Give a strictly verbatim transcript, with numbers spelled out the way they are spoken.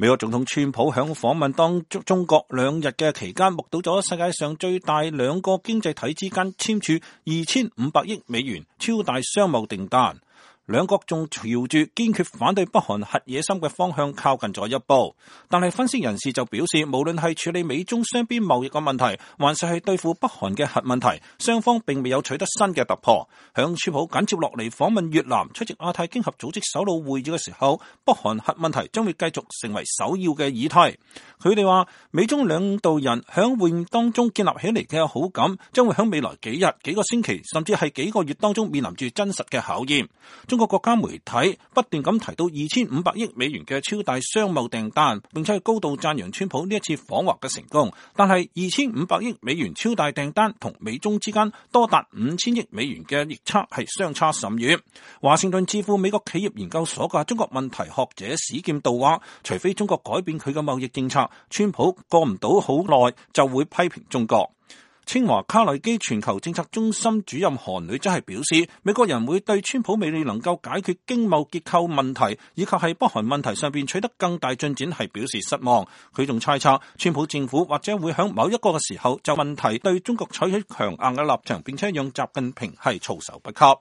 美國總統川普響訪問當中國兩日嘅期間，目睹咗世界上最大兩個經濟體之間簽署二千五百億美元超大商貿訂單。兩國仲朝住堅決反對北韓核野心嘅方向靠近咗一步，但係分析人士就表示，無論係處理美中雙邊貿易嘅問題，還是係對付北韓嘅核問題，雙方並未有取得新嘅突破。響川普緊接落嚟訪問越南，出席亞太經合組織首腦會議嘅時候，北韓核問題將會繼續成為首要嘅議題。佢哋話，美中兩導人響會面當中建立起嚟嘅好感，將會響未來幾日、幾個星期，甚至係幾個月當中面臨住真實嘅考驗。中國國家媒體不斷咁提到二千五百億美元嘅超大商貿訂單，並且係高度讚揚川普呢一次訪華嘅成功。但係二千五百億美元超大訂單同美中之間多達五千億美元嘅逆差係相差甚遠。華盛頓智庫美國企業研究所嘅中國問題學者史劍道話，除非中國改變佢嘅貿易政策，川普過唔到好耐就會批評中國。清華卡內基全球政策中心主任韓女則係表示，美國人會對川普未能夠解決經貿結構問題以及係北韓問題上邊取得更大進展係表示失望。佢仲猜測，川普政府或者會喺某一個嘅時候就問題對中國採取強硬嘅立場，並且讓習近平係措手不及。